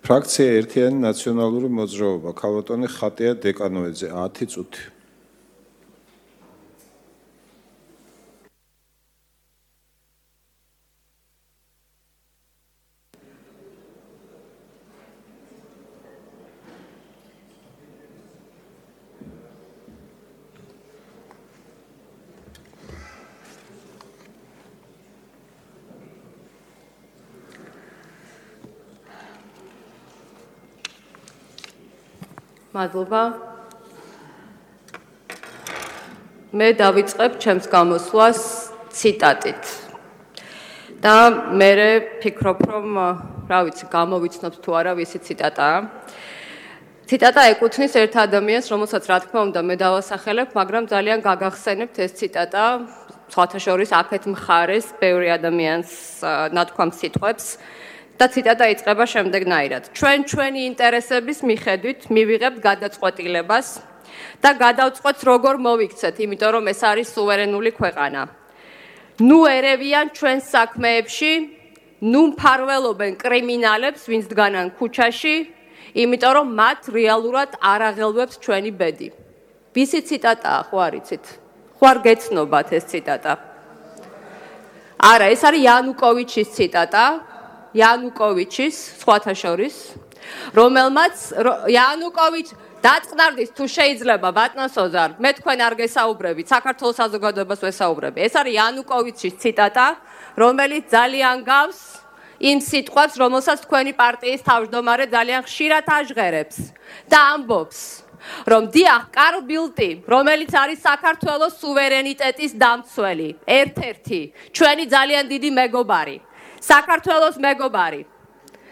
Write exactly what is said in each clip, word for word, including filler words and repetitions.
ფრაქცია ერთიანი ნაციონალური მოძრაობა, ქალბატონი ხატია დეკანოიძე, ათი წუთი. მადლობა. მე დავიწყებ ჩემს გამოსვლას ციტატით. და მე ფიქრობ, რომ რა ვიცი, გამოვიცნობთ თუ არა ვისი ციტატაა. ციტატა ეკუთვნის ერთ ადამიანს, რომელსაც რა თქმა უნდა მე დავასახელებ, მაგრამ ძალიან გაგახსენებთ ეს ციტატა, სხვათა შორის აქეთ მხარეს ბევრი ადამიანს ნათქვამს სიტყვებს. და ციტატა იწყება შემდეგნაირად. ჩვენ ჩვენი ინტერესების მიხედვით მივიღებთ გადაწყვეტილებას და გადავწყვეტთ როგორ მოვიქცეთ, იმიტომ რომ ეს არის სუვერენული ქვეყანა. ნუ ერევიან ჩვენს საქმეებში, ნუ მფარველობენ კრიმინალებს, ვინც დგანან ქუჩაში, იმიტომ რომ მათ რეალურად არ აღელვებს ჩვენი ბედი. ვისი ციტატაა, ხო არიცით? ხო არ გეცნობათ ეს ციტატა? არა, ეს არის იანუკოვიჩის ციტატა. იანუკოვიჩის, სხვათა შორის, რომელმაც იანუკოვიჩ დაწყდარდით თუ შეიძლება ბატონს ოზარ, მე თქვენ არ გესაუბრებით, საქართველოს საზოგადოებას ვესაუბრები. ეს არის იანუკოვიჩის ციტატა, რომელიც ძალიან გავს იმ სიტყვებს, რომელსაც თქვენი პარტიის თავმჯდომარე ძალიან ხშირად აჟღერებს და ამბობს, რომ დიახ, კარლ ბილტი, რომელიც არის საქართველოს სუვერენიტეტის დამცველი, ერთ-ერთი, ჩვენი ძალიან დიდი მეგობარი. საქართველოს მეგობარი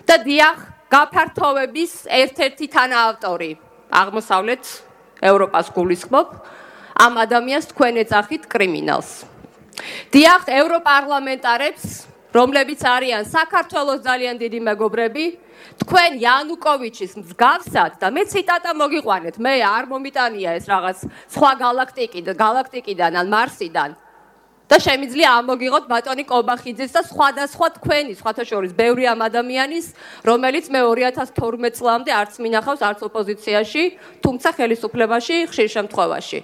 და დიახ გაფართოვების ერთ-ერთი თანაავტორი აღმოსავლეთ ევროპას გულისხმობ ამ ადამიანს თქვენ ეძახით კრიმინალს. დიახ ევროპარლამენტარებს, რომლებიც არიან საქართველოს ძალიან დიდი მეგობრები, თქვენ იანუკოვიჩის მსგავსად და მე ციტატა მოგიყვანეთ, მე არ მომიტანია ეს რაღაც სხვა galaktikიდან, galaktikიდან ან მარსიდან. და შემიძლია ამოგიღოთ ბატონი კობახიძის და სხვადასხვა თქვენი, სხვათა შორის ბევრი ამ ადამიანის, რომელიც მე ორი ათას თორმეტ წლამდე არც მინახავს, არც ოპოზიციაში, თუმცა ხელისუფლებაში ხშირ შემთხვევაში.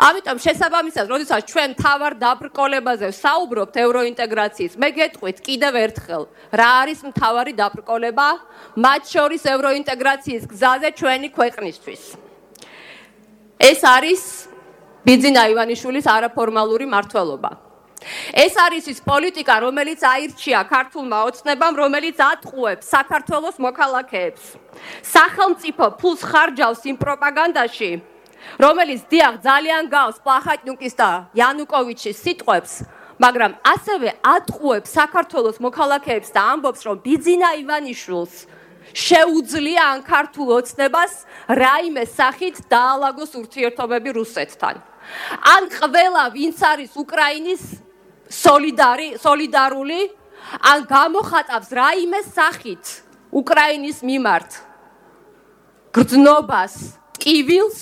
ამიტომ შესაბამისად, როდესაც ჩვენ მთავარ დაბრკოლებაზე ვსაუბრობთ ევროინტეგრაციის, მე გეტყვით კიდევ ერთხელ, რა არის მთავარი დაბრკოლება, მათ შორის ევროინტეგრაციის გზაზე ჩვენი ქვეყნისთვის. ეს არის ბიძინა ივანიშვილის არაფორმალური მმართველობა. ეს არის ის პოლიტიკა, რომელიც აირჩია ქართულმა ოცნებამ, რომელიც ატყუებს საქართველოს მოქალაქეებს. სახელმწიფო ფულს ხარჯავს იმ პროპაგანდაში, რომელიც დიახ ძალიან გავს პლახატნიუკის და იანუკოვიჩის სიტყვებს, მაგრამ ასევე ატყუებს საქართველოს მოქალაქეებს და ამბობს, რომ ბიძინა ივანიშვილს შეუძლია ან ქართულ ოცნებას რაიმე სახით დაალაგოს ურთიერთობები რუსეთთან. ან ყველა ვინც არის უკრაინის სოლიდარი, სოლიდარული, ან გამოხატავს რაიმე სახით უკრაინის მიმართ გრძნობას, ტკივილს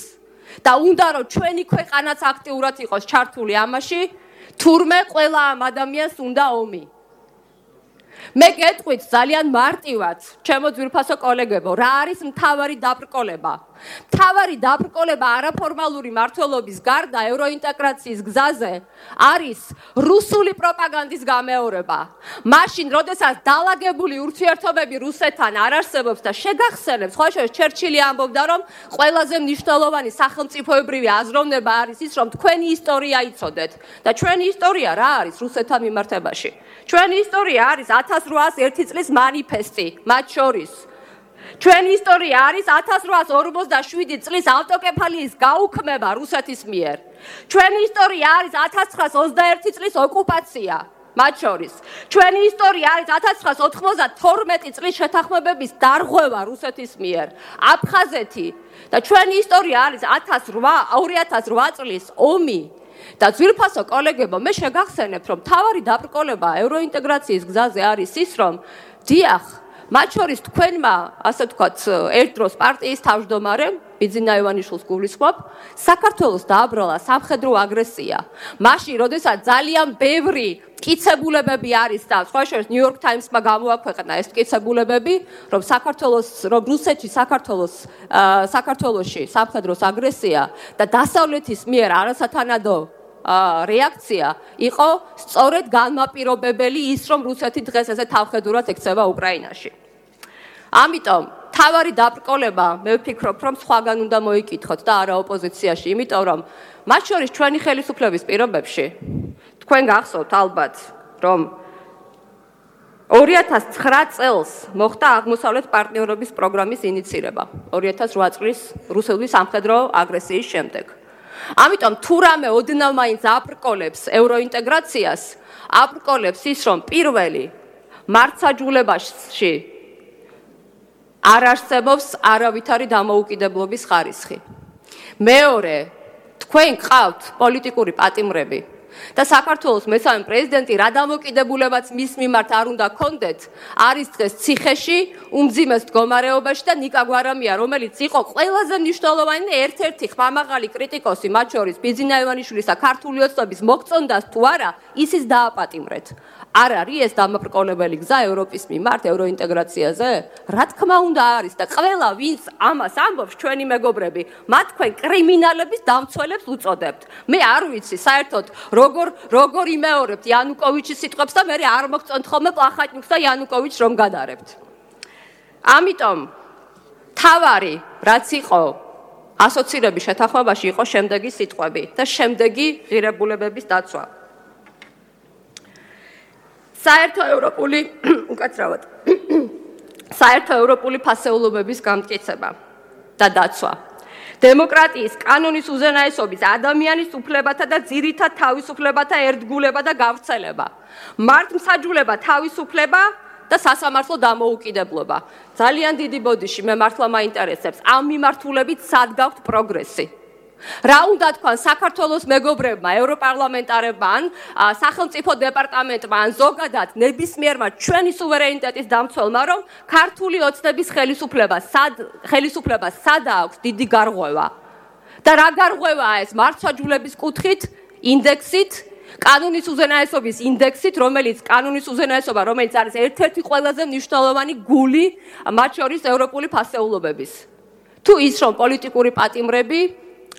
და უნდა რომ ჩვენი ქვეყანაც აქტიურად იყოს ჩართული ამაში, თურმე ყველა ამ ადამიანს უნდა ომი. მე გეტყვით ძალიან მარტივად, ჩემო ძვირფასო კოლეგებო, რა არის მთავარი დაბრკოლება? მთავარი დაბრკოლება არაფორმალური მმართველობის გარდა ევროინტეგრაციის გზაზე არის რუსული პროპაგანდის გამეორება. მაშინ, როდესაც დალაგებული ურთიერთობები რუსეთთან არ არსებობს და შეგახსენებს, სხვა შორის ჩერჩილი ამბობდა, რომ ყველაზე მნიშვნელოვანი სახელმწიფოებრივი აზროვნება არის ის, რომ თქვენი ისტორია იცოდეთ და ჩვენი ისტორია რა არის რუსეთთან მიმართებაში? ჩვენი ისტორია არის ათას რვაას ერთი წლის მანიფესტი, მათ შორის. ჩვენი ისტორია არის ათას რვაას ორმოცდაშვიდი წლის ავტოკეფალიის გაუქმება რუსეთის მიერ. ჩვენი ისტორია არის ათას ცხრაას ოცდაერთი წლის ოკუპაცია, მათ შორის. ჩვენი ისტორია არის ათას ცხრაას ოთხმოცდათორმეტი წლის შეთანხმებების დარღვევა რუსეთის მიერ, აფხაზეთი და ჩვენი ისტორია არის ორი ათას რვა წლის ომი. და ძვირფასო კოლეგებო, მე შეგახსენებთ, რომ მთავარი დაბრკოლება ევროინტეგრაციის გზაზე არის ის, რომ დიახ, მათ შორის თქვენმა, ასე ვთქვათ, ერთ დროს პარტიის თავმჯდომარემ ბიძინა ივანიშვილს გულისხმობ, საქართველოს დააბრალა სამხედრო აგრესია. მაშინ, როდესაც ძალიან ბევრი მტკიცებულებები არის და სხვა შორის New York Times-მა გამოაქვეყნა ეს მტკიცებულებები, რომ საქართველოს, რომ რუსეთში საქართველოს საქართველოში სამხედროს აგრესია და დასავლეთის მიერ არასათანადო რეაქცია იყო სწორედ განმაპირობებელი ის, რომ რუსეთი დღეს ესე თავხედურად ექცევა უკრაინაში. ამიტომ თავარი დაბრკოლება მე ვფიქრობ, რომ სხვაგან უნდა მოიკითხოთ და არა ოპოზიციაში, იმიტომ რომ მათ შორის ჩვენი ხელისუფლების პირობებში თქვენ გახსოვთ ალბათ, რომ ორი ათას ცხრა წელს მოხდა აღმოსავლეთ პარტნიორობის პროგრამის ინიცირება ორი ათას რვა წლის რუსული სამხედრო აგრესიის შემდეგ. ამიტომ თუ რამე ოდნავ მაინც აბრკოლებს ევროინტეგრაციას, აბრკოლებს ის, რომ პირველი მართსაჯულებაში არ არსებობს არავითარი დამოუკიდებლობის ხარისხი. მეორე, თქვენ გყავთ პოლიტიკური პატიმრები და საქართველოს მესამე პრეზიდენტი რა დამოკიდებულებაც მის მიმართ არ უნდა გქონდეთ, არის დღეს ციხეში, უმძიმეს მდგომარეობაში და ნიკა გვარამია, რომელიც იყო ყველაზე მნიშვნელოვანი და ერთ-ერთი ხმამაღალი კრიტიკოსი, მათ შორის ბიძინა ივანიშვილის და ქართული ოცნების მოგწონდას თუ არა, ისიც დააპატიმრეთ. არ არის ეს დამაბრკოლებელი გზა ევროპის მიმართ ევროინტეგრაციაზე? რა თქმა უნდა არის და ყველა ვინც ამას ამბობს ჩვენი მეგობრები, მათ თქვენ კრიმინალების დამცველებს უწოდებთ. მე არ ვიცი საერთოდ როგორ როგორ იმეორებთ იანუკოვიჩის სიტყვებს და მე არ მოგწონთ ხოლმე პლახატნიუკს და იანუკოვიჩს რომ გადარებთ. ამიტომ თავარი რაც იყო ასოცირების შეთანხმებაში იყო შემდეგი სიტყვები და შემდეგი ღირებულებების დაცვა. საერთო ევროპული უკაცრავად საერთო ევროპული ფასეულობების გამტკიცება და დაცვა. დემოკრატიის კანონის უზენაესობის, ადამიანის უფლებათა და ძირითად თავისუფლებათა ერთგულება და გავრცელება. მართლმსაჯულება, თავისუფლება და სასამართლო დამოუკიდებლობა. ძალიან დიდი ბოდიში მე მართლა მაინტერესებს ამ მიმართულებით სად გაქვთ პროგრესი. რა უნდა თქვან საქართველოს მეგობრებმა, ევროპარლამენტარებმა, ან სახელმწიფო დეპარტამენტმა, ან ზოგადად ნებისმიერმა ჩვენი სუვერენიტეტის დამცველმა, რომ ქართული ოცნების ხელისუფლება სად ხელისუფლება სადა აქვს დიდი გარღვევა. და რა გარღვევაა ეს მართლმსაჯულების კუთხით, ინდექსით, კანონის უზენაესობის ინდექსით, რომელიც კანონის უზენაესობა, რომელიც არის ერთ-ერთი ყველაზე მნიშვნელოვანი გული მათ შორის ევროპული ფასეულობების. თუ ის რომ პოლიტიკური პატიმრები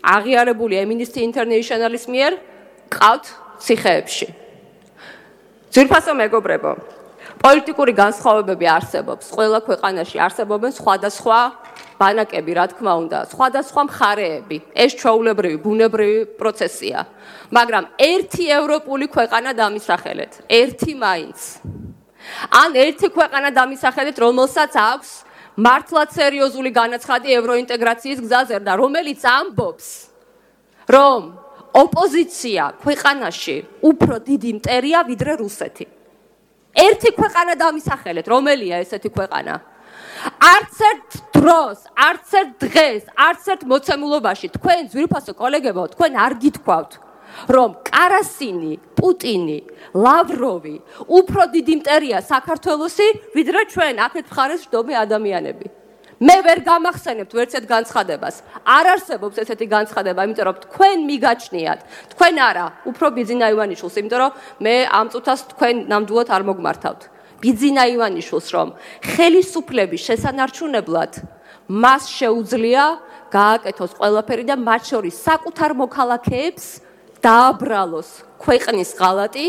აღიარებული Amnesty International-ის მიერ ყავთ ციხეებში. ძვირფასო მეგობრებო, პოლიტიკური განსხვავებები არსებობს. ყველა ქვეყანაში არსებობენ სხვადასხვა ბანაკები, რა თქმა უნდა, სხვადასხვა მხარეები. ეს ჩვეულებრივი, ბუნებრივი პროცესია. მაგრამ ერთი ევროპული ქვეყანა დამისახელეთ, ერთი მაინც. ან ერთი ქვეყანა დამისახელეთ, რომელსაც აქვს მართლაც სერიოზული განაცხადი ევროინტეგრაციის გზაზე და რომელიც ამბობს, რომ ოპოზიცია ქვეყანაში უფრო დიდი მტერია ვიდრე რუსეთი. ერთი ქვეყანა დამისახელეთ, რომელია ესეთი ქვეყანა? არც ერთ დროს, არც ერთ დღეს, არც ერთ მოცემულობაში თქვენ ძვირფასო კოლეგებო, თქვენ არ გითქვავთ, რომ კარასინი, პუტინი, ლავროვი უფრო დიდი მტერია საქართველოსი, ვიდრე ჩვენ აქეთ მხარეს ვждობი ადამიანები. მე ვერ გამახსენებთ ვერცეთ განცხადებას. არ არსებობს ესეთი განცხადება, იმიტომ რომ თქვენ მიგაჩნიათ, თქვენ არა, უფრო ბიძინა ივანიშვილს, იმიტომ რომ მე ამ წუთას თქვენ ნამდვილად არ მოგმართავთ. ბიძინა ივანიშვილს, რომ ხელისუფლების შესანარჩუნებლად მას შეუძლია გააკეთოს ყველაფერი და მათ შორის საკუთარ მოქალაქეებს დააბრალოს ქვეყნის ღალატი,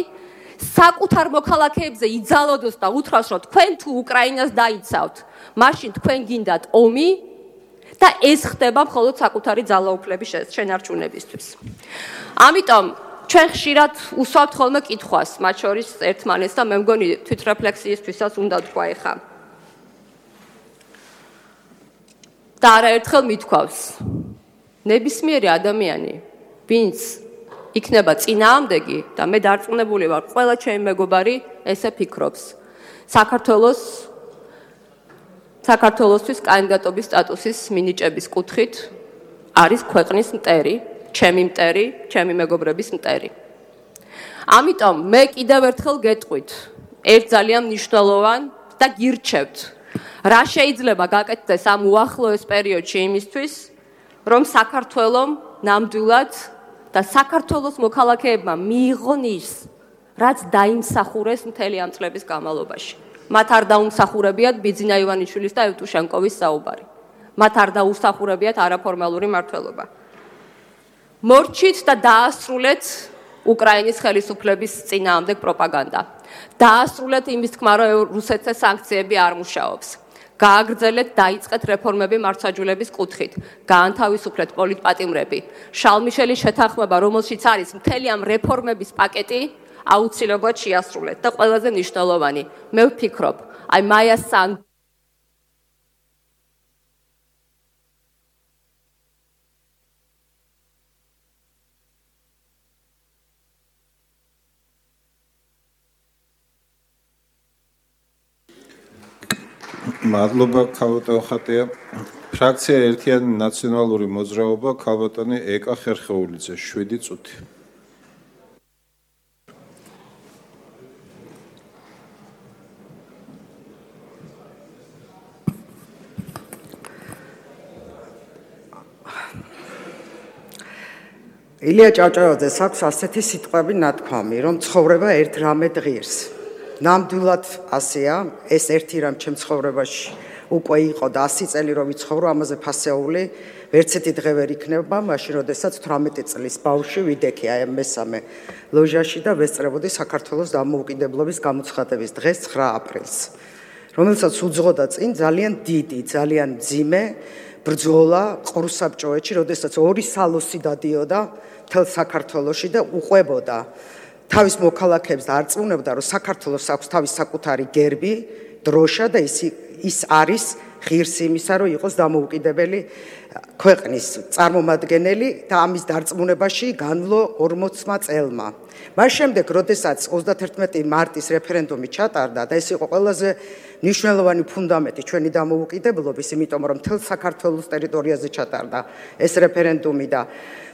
საკუთარ მოქალაქეებზე იძალოდოს და უთხრას, რომ თქვენ თუ უკრაინას დაიცავთ, მაშინ თქვენ გინდათ ომი და ეს ხდება მხოლოდ საკუთარი ძალაუფლების შენარჩუნებისთვის. ამიტომ ჩვენ ხშირად უსვამთ ხოლმე კითხვას, მათ შორის ერთმანეთს და მე მგონი თვითრეფლექსიისთვისაც უნდა თქვა ეხა. და არაერთხელ მithქვავს, ნებისმიერი ადამიანი, ვინც იქნება წინააღმდეგი და მე დარწმუნებული ვარ, ყველა ჩემი მეგობარი ესე ფიქრობს. საქართველოს საქართველოსთვის კანდიდატობის სტატუსის მინიჭების კუთხით არის ქვეყნის მტერი, ჩემი მტერი, ჩემი მეგობრების მტერი. ამიტომ მე კიდევ ერთხელ გეტყვით, ერთ ძალიან მნიშვნელოვან და გირჩევთ, რა შეიძლება გაკეთდეს ამ უახლოეს პერიოდში იმისთვის, რომ საქართველოს ნამდვილად და საქართველოს მოქალაქეებმა მიიღონ ის, რაც დაიმსახურეს მთელი ამ წლების განმავლობაში. მათ არ დაუმსახურებიათ ბიძინა ივანიშვილის და ევტუშენკოვის საუბარი. მათ არ დაუსახურებიათ არაფორმალური მმართველობა. მორჩით და დაასრულეთ უკრაინის ხელისუფლების წინააღმდეგ პროპაგანდა. დაასრულეთ იმის თქმა, რომ რუსეთზე სანქციები არ მუშაობს. გააგრძელეთ დაიწყეთ რეფორმები მართლმსაჯულების კუთხით. გაანთავისუფლეთ პოლიტპატიმრები. შალმიშელის შეთანხმება, რომელშიც არის მთელი ამ რეფორმების პაკეტი, აუცილებლად შეასრულეთ და ყველაზე მნიშვნელოვანი, მე ვფიქრობ, აი მაია სან მადლობა ქალბატონ ხატია. ფრაქცია ერთიანი ნაციონალური მოძრაობა ქალბატონი ეკა ხერხეულიძე შვიდი წუთი. ილია ჭავჭავაძეს აქვს ასეთი სიტყვები ნათქვამი, რომ ცხოვრება ერთ რამე ღირს. ნამდვილად ასეა, ეს ერთი რამ ჩემ ცხოვრებაში უკვე იყო და ასი წელი რომ ვიცხოვრო, ამაზე ფასეული ვერცერთი დღე ვერ იქნება, მაშინ როდესაც თვრამეტი წლის ბავშვი ვიდექი აი მესამე ლოჟაში და ვესწრებოდი საქართველოს დამოუკიდებლობის გამოცხადების დღეს ცხრა აპრილს, რომელსაც უძღოდა წინ ძალიან დიდი, ძალიან მძიმე ბრძოლა ყრუსაბჭოეთში, როდესაც ორი სალოსი დადიოდა მთელ საქართველოში და უყვებოდა თავის მოქალაქეებს და არწმუნებდა, რომ საქართველოს აქვს თავის საკუთარი გერბი, დროშა და ის ის არის ღირსი იმისა, რომ იყოს დამოუკიდებელი ქვეყნის წარმომადგენელი და ამის დარწმუნებაში განვლო ორმოცმა წელმა. მას შემდეგ, როდესაც ოცდაათერთმეტი მარტის რეფერენდუმი ჩატარდა და ეს იყო ყველაზე მნიშვნელოვანი ფუნდამენტი ჩვენი დამოუკიდებლობის, იმიტომ რომ მთელ საქართველოს ტერიტორიაზე ჩატარდა ეს რეფერენდუმი და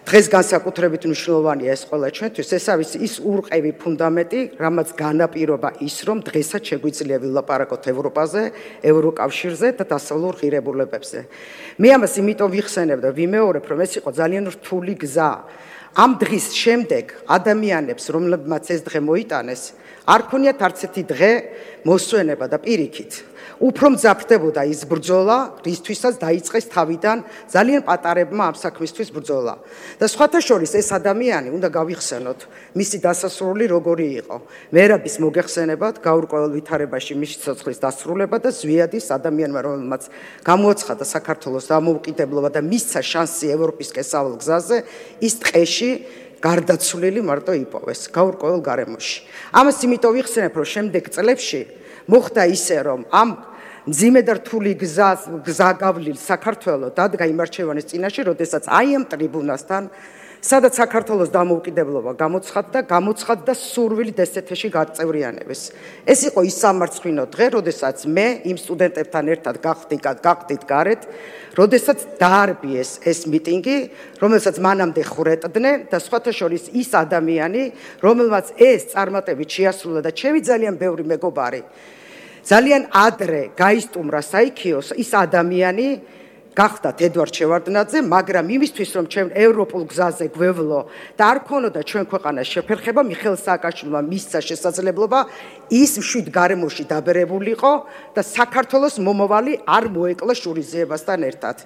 დღეს განსაკუთრებით მნიშვნელოვანია ეს ყველა ჩვენთვის, ეს არის ის ურყევი ფუნდამენტი, რამაც განაპირობა ის, რომ დღესაც შეგვიძლია ვილაპარაკოთ ევროპაზე, ევროკავშირზე და დასავლურ ღირებულებებზე. მე ამას იმიტომ ვიხსენებ და ვიმეორებ, რომ ეს იყო ძალიან რთული გზა. ამ დღის შემდეგ ადამიანებს, რომლებმაც ეს დღე მოიტანეს, არ ქონიათ არც ერთი დღე მოსვენება და პირიქით. უფრო მძაფრდებოდა ის ბრძოლა, რისთვისაც დაიწყეს თავიდან ძალიან პატარებმა ამ საქმისთვის ბრძოლა. და სხვათა შორის ეს ადამიანი უნდა გავიხსენოთ, მისი დასასრული როგორი იყო. მერაბის მოგეხსენებათ, გაურკვეველ ვითარებაში მისი ცოცხლის დასრულება და ზვიადის ადამიანმა, რომელმაც გამოაცხადა საქართველოს დამოუკიდებლობა და მისცა შანსი ევროპის კესავალ გზაზე, ის ტყეში გარდაცვლილი მარტო იპოვეს გაურკვეველ გარემოში. ამას იმიტომ ვიხსენებ, რომ შემდეგ წლებში მოხდა ისე, რომ ამ მძიმე და რთული გზაგავლილ საქართველოს დადგა იმ არჩევანის წინაშე, როდესაც აი ამ ტრიბუნასთან, სადაც საქართველოს დამოუკიდებლობა გამოცხადდა, გამოცხადდა სურვილით ესეთეში გაწევრიანებას. ეს იყო ის სამარცხვინო დღე, როდესაც მე იმ სტუდენტებთან ერთად გავხდით გარეთ, როდესაც დაარბიეს ეს მიტინგი, რომელსაც მანამდე ხრეტდნენ და სხვათა შორის ის ადამიანი, რომელმაც ეს წარმატებით შეასრულა და ჩემი ძალიან ბევრი მეგობარი ძალიან ადრე გაისტუმრა საიქიოს, ის ადამიანი გახდათ ედვარდ შევარდნაძე, მაგრამ იმისთვის, რომ ჩვენ ევროპულ გზაზე გვევლო და არ ქონოდა ჩვენ ქვეყანას შეფერხება, მიხეილ სააკაშვილმა მისცა შესაძლებლობა ის მშვიდ გარემოში დაბერებულიყო და საქართველოს მომავალი არ მოეკლო შურიზიებასთან ერთად.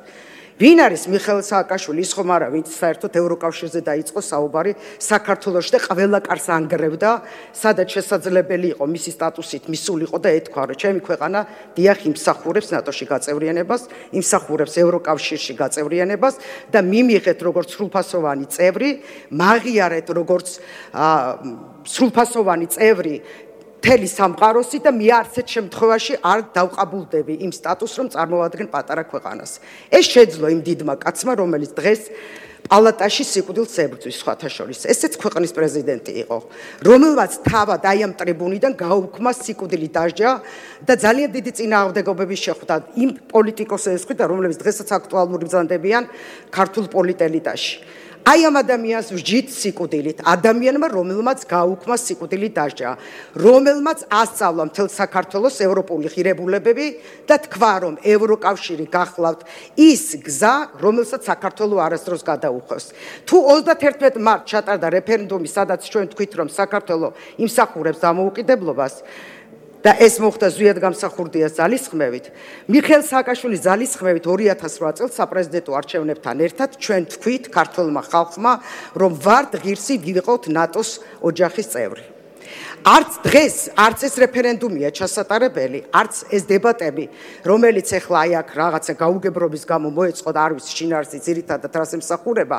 ვინ არის მიხეილ სააკაშვილი? ის ხომ არა, ვინც საერთოდ ევროკავშირზე დაიწყო საუბარი საქართველოში და ყველა კარს ანგრევდა, სადაც შესაძლებელი იყო მისი სტატუსით მისულიყო და ეთქვა, რომ ჩემი ქვეყანა დიახ იმსახურებს ნატოში გაწევრიანებას, იმსახურებს ევროკავშირში გაწევრიანებას და მიმიღეთ როგორც სრულფასოვანი წევრი, მაღიარეთ როგორც სრულფასოვანი წევრი მთელი სამყაროსი და მე არცერთ შემთხვევაში არ დავყაბულდები იმ სტატუსს, რომ წარმოვადგენ პატარა ქვეყანას. ეს შეძლო იმ დიდმა კაცმა, რომელიც დღეს პალატაში სიკვდილს ებრძვის სხვათა შორის. ესეც ქვეყნის პრეზიდენტი იყო, რომელმაც თავად აი ამ ტრიბუნიდან გაუქმა სიკვდილი დასჯა და ძალიან დიდი წინააღმდეგობები შეხვდა იმ პოლიტიკოსების მხრიდან, რომლებიც დღესაც აქტუალური ბრძანდებიან ქართულ პოლიტელიტაში. აი ამ ადამიანს ვჯით სიკვდილით, ადამიანმა, რომელმაც გაუქმა სიკვდილი დასჯა, რომელმაც ასწავლა მთელ საქართველოს ევროპული ღირებულებები და თქვა, რომ ევროკავშირი გახლავთ ის გზა, რომელსაც საქართველო არასდროს გადაუხევს. თუ ოცდაათერთმეტ მარტს ჩატარდა რეფერენდუმი, სადაც ჩვენ თქვით, რომ საქართველო იმსახურებს დამოუკიდებლობას, და ეს მოხდა ზვიად გამსახურდიას ძალისხმევით, მიხეილ სააკაშვილის ძალისხმევით ორი ათას რვა წელს საპრეზიდენტო არჩევნებთან ერთად ჩვენ თქვით ქართულმა ხალხმა, რომ ვართ ღირსი ვიყოთ ნატოს ოჯახის წევრი. არც დღეს, არც ეს რეფერენდუმია ჩასატარებელი, არც ეს დებატები, რომელიც ახლა აი აქ რაღაცა გაუგებრობის გამო მოეწყო და არ ვიცი შინაარსი ძირითადად რას ემსახურება,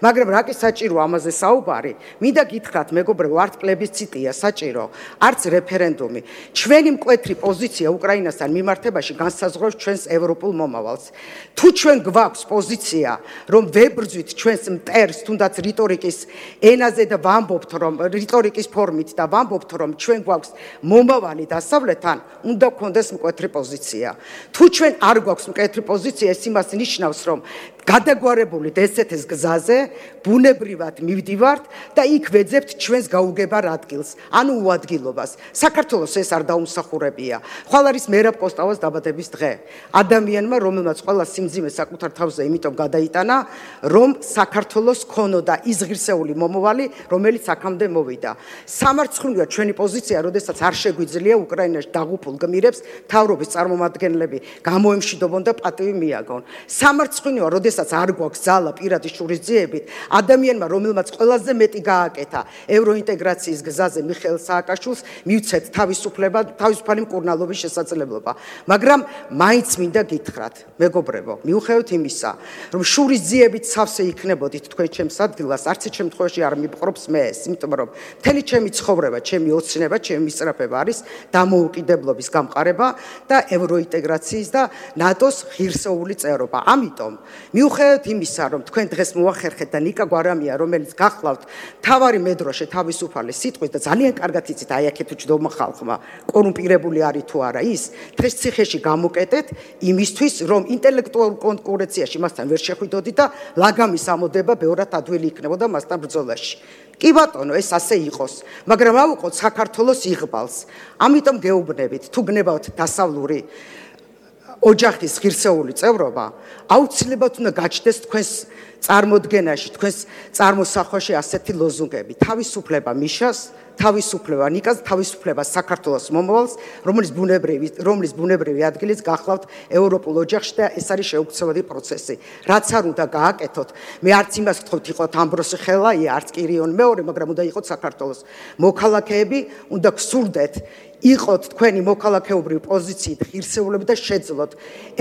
მაგრამ რა კი საჭირო ამაზე საუბარი, მინდა გითხრათ მეგობრებო, არც პლებისციტია საჭირო, არც რეფერენდუმი. ჩვენი მკვეთრი პოზიცია უკრაინასთან მიმართებაში განსაზღვრავს ჩვენს ევროპულ მომავალს. თუ ჩვენ გვაქვს პოზიცია, რომ ვებრძვით ჩვენს მტერს, თუნდაც რიტორიკის ენაზე და ვამბობთ, რომ რიტორიკის ფორმით და ვამბობთ, რომ ჩვენ გვაქვს მომავალი დასავლეთთან, უნდა გქონდეს მკვეთრი პოზიცია. თუ ჩვენ არ გვაქვს მკვეთრი პოზიცია, ეს იმას ნიშნავს, რომ გადაგვარებული ესეთის გზაზე ბუნებრივად მივდივართ და იქ ვეძებთ ჩვენს გაუგებარ ადგილს, ანუ უადგილობას. საქართველოს ეს არ დაუმსახურებია. ხვალ არის მერაბ კოსტავას დაბადების დღე. ადამიანმა, რომელმაც ყველა სიმძიმე საკუთარ თავზე იმიტომ გადაიტანა, რომ საქართველოს ქონოდა ის ღირსეული მომავალი, რომელიც აქამდე მოვიდა. სამარცხვინოა ჩვენი პოზიცია, როდესაც არ შეგვიძლია უკრაინაში დაღუპულ გმირებს მთავრობის წარმომადგენლები გამოემშვიდობონ და პატივი მიაგონ. სამარცხვინოა, როდესაც არ გვაქვს ძალა პირადი შურისძიებით, ადამიანმა, რომელმაც ყველაზე მეტი გააკეთა ევროინტეგრაციის გზაზე მიხეილ სააკაშვილს, მივცეთ თავისუფლება, თავისუფალი მკურნალობის შესაძლებლობა. მაგრამ მაინც მინდა გითხრათ, მეგობრებო, მიუხედავად იმისა, რომ შურისძიებით სავსე იქნებოდით თქვენ ჩემს ადგილას, არც ერთ შემთხვევაში არ მიპყრობს მე ეს, იმიტომ რომ მთელი ჩემი ცხოვრება, ჩემი ოცნება, ჩემი მისწრაფება არის დამოუკიდებლობის გამყარება და ევროინტეგრაციის და ნატოს ღირსეული წევრობა. ამიტომ მიუხედავად იმისა, რომ თქვენ დღეს მოახერხეთ და ნიკა გვარამია, რომელიც გახლავთ თავარი მედროშე თავისუფალი სიტყვის და ძალიან კარგად იცით აი აქეთ უჯდომა ხალხმა კორუმპირებული არის თუ არა ის, დღეს ციხეში გამოკეტეთ იმისთვის, რომ ინტელექტუალურ კონკურენციაში მასთან ვერ შეხვიდოდით და ლაგამის ამოდება ბევრად ადვილი იქნებოდა მასთან ბრძოლაში. კი ბატონო, ეს ასე იყოს, მაგრამ ავუყოთ საქართველოს იღბალს. ამიტომ გეუბნებით, თუ გნებავთ დასავლური ოჯახის ღირსეული წევრობა, აუცილებლად უნდა გაჩნდეს თქვენს წარმოდგენაში, თქვენს წარმოსახვაში ასეთი ლოზუნგები: თავისუფლება მიშას, თავისუფლება ნიკას, თავისუფლება საქართველოს მომავალს, რომელიც ბუნებრივი, რომლის ბუნებრივი ადგილიც გახლავთ ევროპულ ოჯახში და ეს არის შეუქცევადი პროცესი. რაც არ უნდა გააკეთოთ, მე არც იმას ვთქვით, იყოთ ამბროსი ხელაია, არც კირიონ მეორე, მაგრამ უნდა იყოთ საქართველოს მოქალაქეები, უნდა გსურდეთ იყოთ თქვენი მოქალაქეობრივი პოზიციით ღირსეულები და შეძლოთ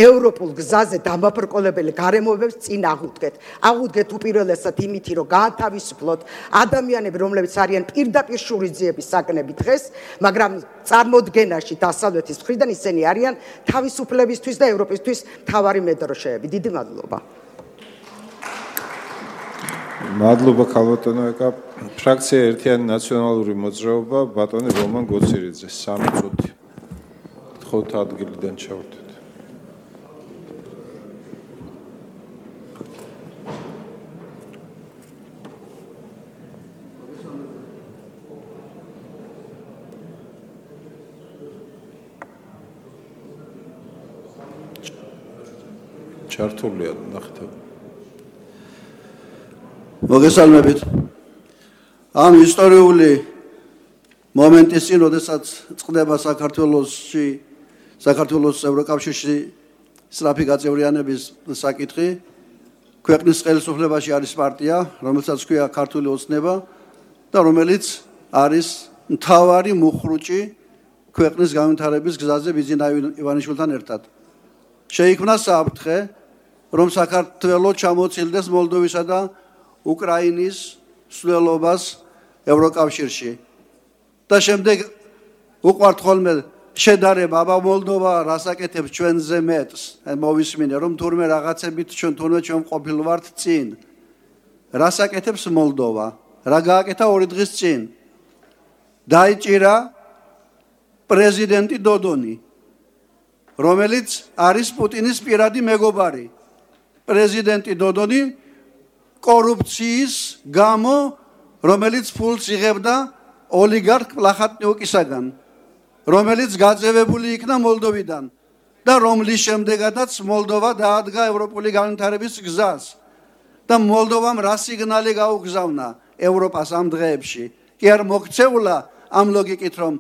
ევროპულ გზაზე დამაბრკოლებელი გარემოებებს წინ აღუდგეთ. აღუდგეთ უპირველესად იმითი, რომ გაათავისუფლოთ ადამიანები, რომლებიც არიან პირდაპირ შურისძიების საგნები დღეს, მაგრამ წარმოდგენაში დასავლეთის მხრიდან ისინი არიან თავისუფლებისთვის და ევროპისთვის მთავარი მედროშეები. დიდი მადლობა. მადლობა ქალბატონო ეკა. ფრაქცია ერთიანი ნაციონალური მოძრაობა, ბატონი რომან გოცირიძე, სამი წუთი. გთხოვთ ადგილიდან ჩავთვით. ჩართულია ნახეთ. მოგესალმებით. ამ ისტორიული მომენტის წინ, როდესაც წყდება საქართველოსში, საქართველოს ევროკავშირში სწრაფი გაწევრიანების საკითხი, ქვეყნის ხელისუფლებაში არის პარტია, რომელსაც ჰქვია ქართული ოცნება და რომელიც არის მთავარი მუხრუჭი ქვეყნის განვითარების გზაზე ბიძინა ივანიშვილთან ერთად. შეიქმნა საფრთხე, რომ საქართველო ჩამოცილდეს მოლდოვისა და უკრაინის სვლელობას ევროკავშირში. და შემდეგ უყვართ ხოლმე შედარება, აბა მოლდოვა რას აკეთებს ჩვენზე მეტს. მოვისმინე, რომ თურმე რაღაცებით ჩვენ თურმე ჩვენ ყოფილ ვართ წინ. რას აკეთებს მოლდოვა? რა გააკეთა ორი დღის წინ? დაიჭირა პრეზიდენტი დოდონი, რომელიც არის პუტინის პირადი მეგობარი. პრეზიდენტი დოდონი კორუფციის გამო, რომელიც ფულს იღებდა ოლიგარქ პლახატნიუკისაგან, რომელიც გაწევებული იქნა მოლდოვიდან და რომლის შემდეგაც მოლდოვა დაადგა ევროპული განვითარების გზას და მოლდოვამ რა სიგნალი გაუგზავნა ევროპას ამ დღეებში. კი არ მოქცეულა ამ ლოგიკით, რომ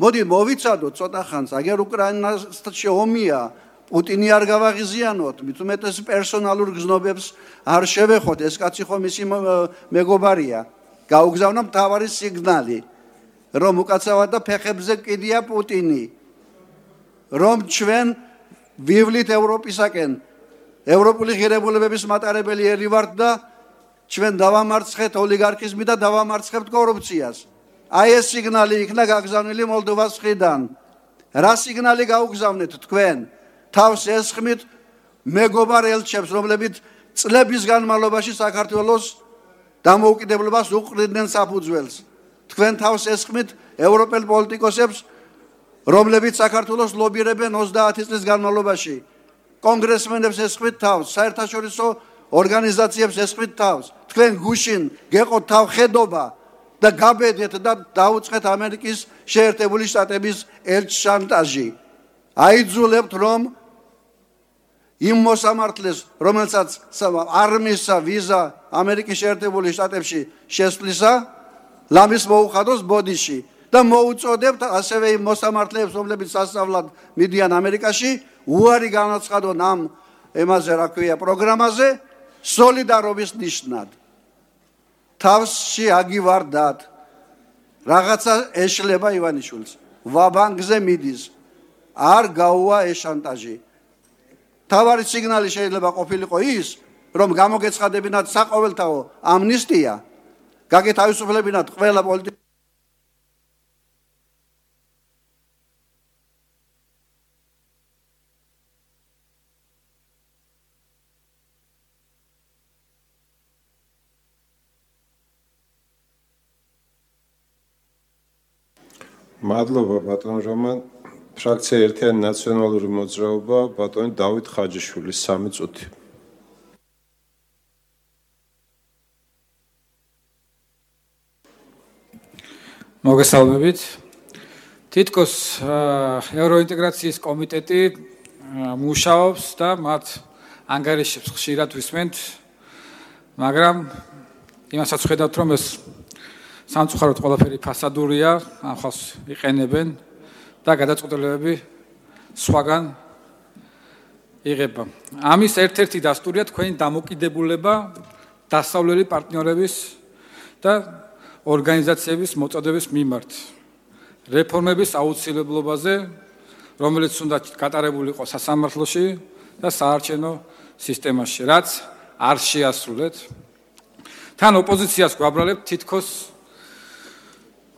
მოდი მოვიცადოთ ცოტა ხანს, აგერ უკრაინაში ომია, პუტინი არ გავაღიზიანოთ, მით უმეტეს პერსონალურ გზნობებს არ შევეხოთ, ეს კაცი ხომ ისი მეგობარია. გაუგზავნა მთავარი სიგნალი, რომ უკაცრავად და ფეხებზე კიდია პუტინი, რომ ჩვენ ვივლით ევროპისაკენ, ევროპული ღირებულებების მატარებელი ერი ვართ და ჩვენ დავამარცხეთ ოლიგარქიზმი და დავამარცხებთ კორუფციას. აი ეს სიგნალი იქნა გაგზავნილი მოლდოვას მხრიდან. რა სიგნალი გაუგზავნეთ თქვენ? თავს ესხმით მეგობარ ელჩებს, რომლებიც წლების განმავლობაში საქართველოს დამოუკიდებლობას უყრიდნენ საფუძველს. თქვენ თავს ესხმით ევროპელ პოლიტიკოსებს, რომლებიც საქართველოს ლობირებენ ოცდაათი წლის განმავლობაში. კონგრესმენებს ესხმით თავს, საერთაშორისო ორგანიზაციებს ესხმით თავს. თქვენ გუშინ გეყოთ თავხედობა და გაბედეთ და დაუწყეთ ამერიკის შეერთებული შტატების ელჩ შანტაჟი. აიძულებთ, რომ იმ მოსამართლეს, რომელსაც არ მისცა ვიზა ამერიკის შეერთებული შტატებში შესვლისა, ლამის მოუხადოს ბოდიში და მოუწოდებთ ასევე იმ მოსამართლეებს, რომლებიც სასწავლად მიდიან ამერიკაში, უარი განაცხადონ ამ ემაზე, რა ქვია, პროგრამაზე, სოლიდარობის ნიშნად. თავში აგივარდათ, რაღაცა ეშლება ივანიშვილს, ვაბანგზე მიდის, არ გაუვა ეს შანტაჟი. თავარი სიგნალი შეიძლება ყოფილიყო ის, რომ გამოგეცხადებინათ საყოველთაო ამნისტია, გაგეთავისუფლებინათ ყველა პოლიტიკა. მადლობა ბატონ რომან. ფრაქცია ერთიანი ნაციონალური მოძრაობა, ბატონი დავით ხაჯიშვილი, სამი წუთი. მოგესალმებით. თითქოს ევროინტეგრაციის კომიტეტი მუშაობს და მათ ანგარიშებს ხშირად ვისმენთ, მაგრამ იმასაც ხედავთ, რომ ეს სამწუხაროდ ყველაფერი ფასადურია, ახალს იყენებენ და გადაწყვეტილებები სხვაგან იღება. ამის ერთ-ერთი დასტურია თქვენი დამოკიდებულება დასავლელი პარტნიორების და ორგანიზაციების მოწოდების მიმართ. რეფორმების აუცილებლობაზე, რომელიც უნდა გატარებულიყო სასამართლოში და საარჩევნო სისტემაში, რაც არ შეასრულეთ. თან ოპოზიციას გვაბრალებთ თითქოს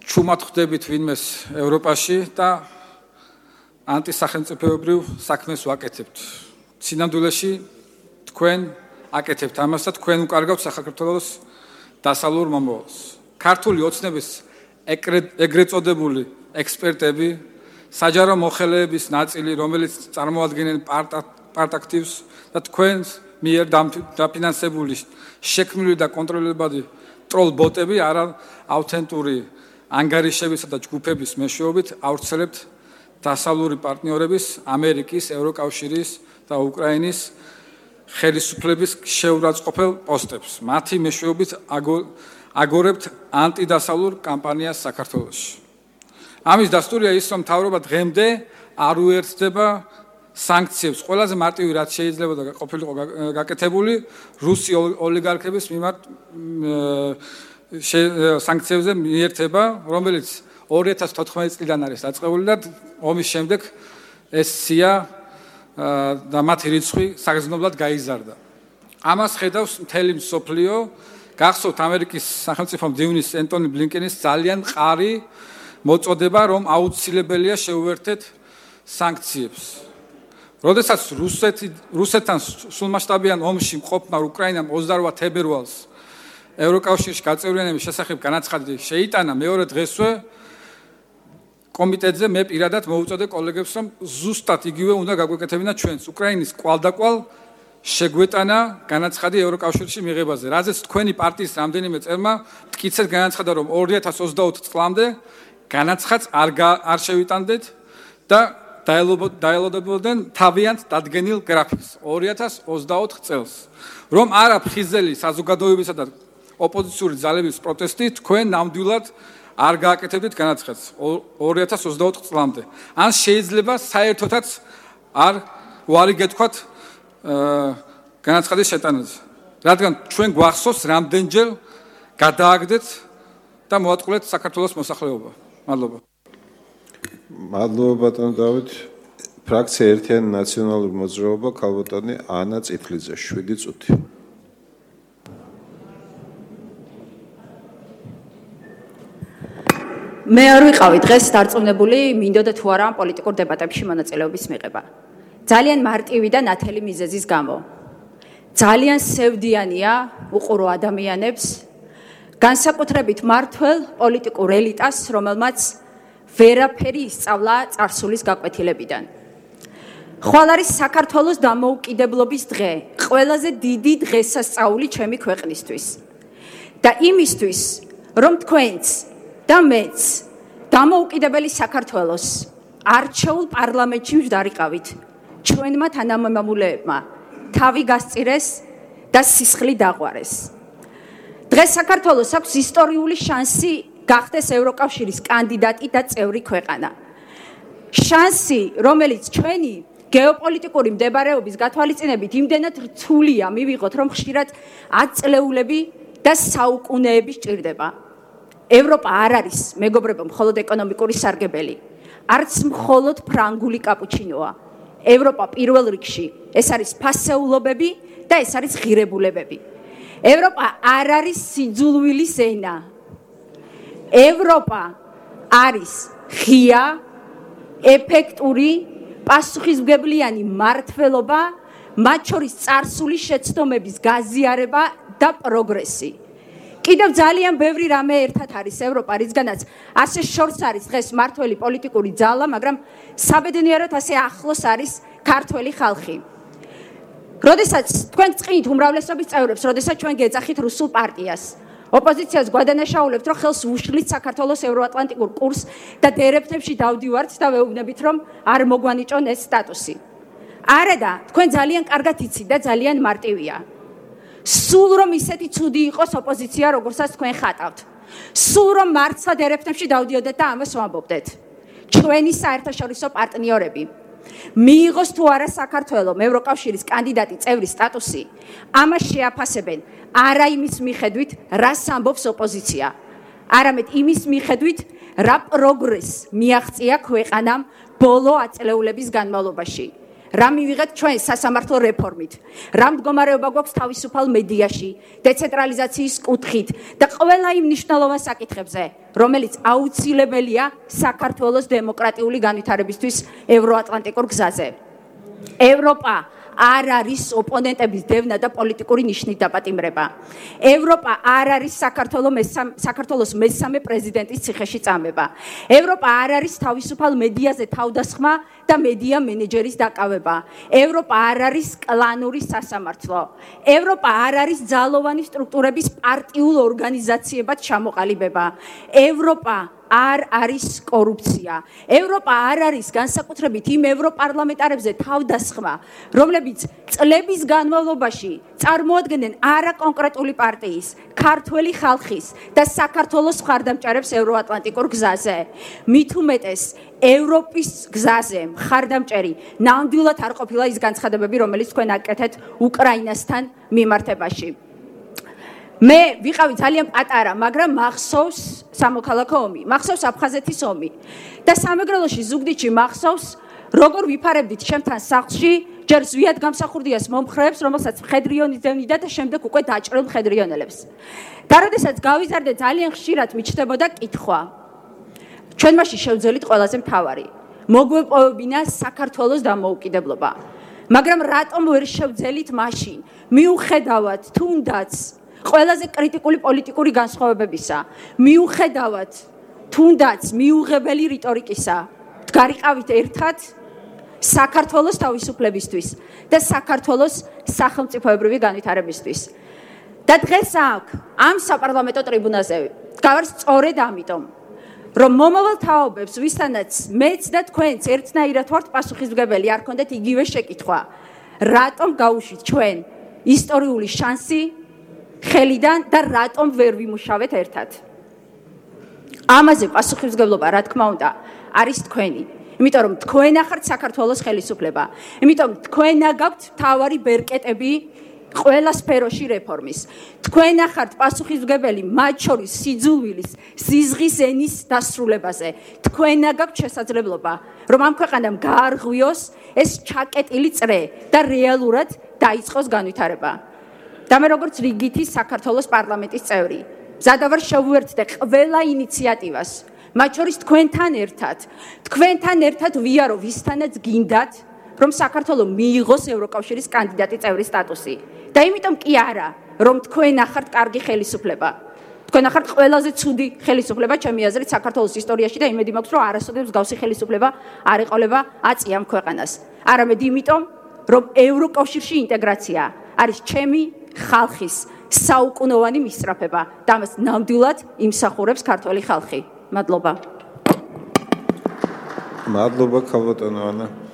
ჩუმად ხვდებით ვინმეს ევროპაში და ანტისახელმწიფოებრივ საქმეს ვაკეთებთ. სინამდვილეში თქვენ აკეთებთ ამას და თქვენ უკარგავთ საქართველოს დასავლურ მომავალს. ქართული ოცნების ეგრეთ წოდებული ექსპერტები, საჯარო მოხელეების ნაწილი, რომელიც წარმოადგენენ პარტ-აქტივს და თქვენს მიერ დაფინანსებული შექმნილი და კონტროლებადი ტროლ ბოტები არა ავთენტური ანგარიშებისა და ჯგუფების მეშვეობით ავრცელებთ დასავლური პარტნიორების, ამერიკის, ევროკავშირის და უკრაინის ხელისუფლების შეურაცხყოფელ პოსტებს. მათი მეშვეობით აგორებთ ანტიდასავლურ კამპანიას საქართველოში. ამის დასტურია ის, რომ მთავრობა დღემდე არ უერთდება სანქციებს, ყველაზე მარტივი რაც შეიძლება და ყოფილიყო გაკეთებული რუსი ოლიგარქების მიმართ სანქციებზე მიერთება, რომელიც ორი ათას თოთხმეტი წლიდან არის დაწყებული და ომის შემდეგ ეს სია და მათი რიცხვი საგრძნობლად გაიზარდა. ამას ხედავს მთელი მსოფლიო, გახსოვთ ამერიკის სახელმწიფო მდივნის ენტონი ბლინკენის ძალიან მყარი მოწოდება, რომ აუცილებელია შეუერთეთ სანქციებს. როდესაც რუსეთი რუსეთთან სრულმასშტაბიან ომში მყოფმა უკრაინამ ოცდაორ თებერვალს ევროკავშირში გაწევრიანების შესახებ განაცხადი შეიტანა, მეორე დღესვე კომიტეტზე მე პირადად მოუწოდე კოლეგებს, რომ ზუსტად იგივე უნდა გაგვეკეთებინათ ჩვენს უკრაინის კვალდაკვალ შეგვეტანა განაცხადი ევროკავშირში მიღებაზე, რაზეც თქვენი პარტიის რამდენიმე წევრმა მტკიცედ განაცხადა, რომ ორი ათას ოცდაოთხ წლამდე განაცხადს არ არ შევიტანდეთ და დაელოდებოდნენ თავიანთ დადგენილ გრაფიკს ორი ათას ოცდაოთხ წელს. რომ არა ფხიზელი საზოგადოებისა და ოპოზიციური ძალების პროტესტი თქვენ ნამდვილად არ გააკეთებდით განაცხადს ორი ათას ოცდაოთხ წლამდე. ან შეიძლება საერთოდაც არ უარი გეთქვათ განაცხადის შეტანაზე. რადგან ჩვენ გვახსოვს რამდენჯერ გადააგდეთ და მოატყულეთ საქართველოს მოსახლეობა. მადლობა. მადლობა ბატონ დავით. ფრაქცია ერთიანი ნაციონალური მოძრაობა ქალბატონი ანა წითლიძე შვიდი წუთი. მე არ ვიყავი დღეს დარწმუნებული მინდოდა თუ არა პოლიტიკურ დებატებში მონაწილეობის მიღება. ძალიან მარტივი და ნათელი მიზეზის გამო. ძალიან სევდიანია უყურო ადამიანებს, განსაკუთრებით მართველ პოლიტიკურ ელიტას, რომელმაც ვერაფერი ისწავლა წარსულის გაკვეთილებიდან. ხვალ არის საქართველოს დამოუკიდებლობის დღე, ყველაზე დიდი დღესასწაული ჩემი ქვეყნისთვის. და იმისთვის, რომ თქვენც და მეც დამოუკიდებელი საქართველოს არჩეულ პარლამენტში ვდარიყავით, ჩვენმა თანამემამულეებმა თავი გასწირეს და სისხლი დაღვარეს. დღეს საქართველოს აქვს ისტორიული შანსი გახდეს ევროკავშირის კანდიდატი და წევრი ქვეყანა. შანსი, რომელიც ჩვენი გეოპოლიტიკური მდებარეობის გათვალისწინებით იმდენად რთულია მივიღოთ, რომ ხშირად ათწლეულები და საუკუნეები სჭირდება. ევროპა არ არის, მეგობრებო, მხოლოდ ეკონომიკური სარგებელი, არც მხოლოდ ფრანგული კაპუჩინოა. ევროპა პირველ რიგში ეს არის ფასეულობები და ეს არის ღირებულებები. ევროპა არ არის სიძულვილის ენა. ევროპა არის ღია, ეფექტური, პასუხისმგებლიანი მმართველობა, მათ შორის წარსული შეცდომების გაზიარება და პროგრესი. კიდევ ძალიან ბევრი რამე ერთად არის ევროპა, რისგანაც ასე შორს არის დღეს მართველი პოლიტიკური ძალა, მაგრამ საბედნიეროდ ასე ახლოს არის ქართველი ხალხი. როდესაც თქვენ წყინით უმრავლესობის წევრებს, როდესაც ჩვენ გეძახით რუსულ პარტიას, ოპოზიციას გვადანაშაულებთ, რომ ხელს უშლით საქართველოს ევროატლანტიკურ კურსს და დერეფნებში დავდივართ და ვეუბნებით, რომ არ მოგვანიჭონ ეს სტატუსი. არა და თქვენ ძალიან კარგად იცით და ძალიან მარტივია. სულ რომ ისეთი ცუდი იყოს ოპოზიცია, როგორცაც თქვენ ხატავთ. სულ რომ მართლა დერეფნებში დავდიოდეთ და ამას ვამბობდეთ. ჩვენი საერთაშორისო პარტნიორები მიიღოს თუ არა საქართველოს ევროკავშირის კანდიდატი წევრის სტატუსი, ამას შეაფასებენ არა იმის მიხედვით, რას ამბობს ოპოზიცია, არამედ იმის მიხედვით, რა პროგრესს მიაღწია ქვეყანამ ბოლო ათწლეულების განმავლობაში. რა მივიღეთ ჩვენ სასამართლო რეფორმით, რა მდგომარეობა გვაქვს თავისუფალ მედიაში, დეცენტრალიზაციის კუთხით და ყველა იმ მნიშვნელოვან საკითხებზე, რომელიც აუცილებელია საქართველოს დემოკრატიული განვითარებისთვის ევროატლანტიკურ გზაზე. ევროპა არ არის ოპონენტების დევნა და პოლიტიკური ნიშნით დაპატიმრება. ევროპა არ არის საქართველოს მესამე პრეზიდენტის ციხეში წამება. ევროპა არ არის თავისუფალ მედიაზე თავდასხმა და მედია მენეჯერის დაკავება. ევროპა არ არის კლანური სასამართლო. ევროპა არ არის ძალოვანი სტრუქტურების პარტიულ ორგანიზაციებად ჩამოყალიბება. ევროპა არ არის კორუფცია. ევროპა არ არის განსაკუთრებით იმ ევროპარლამენტარებზე თავდასხმა, რომლებიც წლების განმავლობაში წარმოადგენენ არა კონკრეტული პარტიის, ქართველი ხალხის და საქართველოს მხარდამჭერებს ევროატლანტიკურ გზაზე. მით უმეტეს ევროპის გზაზე მხარდამჭერი ნამდვილად არ ყოფილა ის განცხადებები, რომელიც თქვენ აკეთეთ უკრაინასთან მიმართებაში. მე ვიყავი ძალიან პატარა, მაგრამ მახსოვს სამოქალაქო ომი, მახსოვს აფხაზეთის ომი და სამეგრელოში ზუგდიდში მახსოვს, როგორ ვიფარებდით ჩემთან სახლში ჯერ ზვიად გამსახურდიას მომხრეებს, რომელსაც მხედრიონი დევნიდა და შემდეგ უკვე დაჭრილ მხედრიონელებს. და როდესაც გავიზარდე, ძალიან ხშირად მიჩნდებოდა კითხვა. ჩვენ მაშინ შევძელით ყველაზე მთავარი, მოგვეპოვებინა საქართველოს დამოუკიდებლობა. მაგრამ რატომ ვერ შევძელით მაშინ, მიუხედავად თუნდაც ყველაზე კრიტიკული პოლიტიკური განსხვავებებისა, მიუხედავად თუნდაც მიუღებელი რიტორიკისა, დგარიყავით ერთად საქართველოს თავისუფლებისთვის და საქართველოს სახელმწიფოებრივი განვითარებისთვის. და დღეს აქ ამ საპარლამენტო ტრიბუნაზე გავარს სწორედ ამიტომ, რომ მომავალ თაობებს, ვისთანაც მეც და თქვენც ერთნაირად ვართ პასუხისმგებელი, არ ქონდეთ იგივე შეკითხვა, რატომ გაუშვით ჩვენ ისტორიული შანსი ხელიდან და რატომ ვერ ვიმუშავეთ ერთად. ამაზე პასუხისმგებლობა, რა თქმა უნდა, არის თქვენი. იმიტომ რომ თქვენა ხართ საქართველოს ხელისუფლება. იმიტომ თქვენა გაქვთ მთავარი ბერკეტები ყველა სფეროში რეფორმის. თქვენა ხართ პასუხისმგებელი მათ შორის სიძულვილის, სიზღის ენის დასრულებაზე. თქვენა გაქვთ შესაძლებლობა, რომ ამ ქვეყანამ გაარღვიოს ეს ჩაკეტილი წრე და რეალურად დაიწყოს განვითარება. და მე როგორც რიგითი საქართველოს პარლამენტის წევრი, მზადა ვარ შევუერთდე ყველა ინიციატივას, მათ შორის თქვენთან ერთად, თქვენთან ერთად ვიარო ვისთანაც გინდათ, რომ საქართველო მიიღოს ევროკავშირის კანდიდატი წევრის სტატუსი. და იმიტომ კი არა, რომ თქვენ ახართ კარგი ხელისუფლება. თქვენ ახართ ყველაზე ცუდი ხელისუფლება ჩემი აზრით საქართველოს ისტორიაში და იმედი მაქვს, რომ არასოდეს მსგავსი ხელისუფლება არ ეყოლება აწი ამ ქვეყანას. არამედ იმიტომ, რომ ევროკავშირში ინტეგრაცია არის ჩემი ხალხის საუკუნოვანი მისწრაფება და ამას ნამდვილად იმსახურებს ქართველი ხალხი. მადლობა. მადლობა ქალბატონო ანა.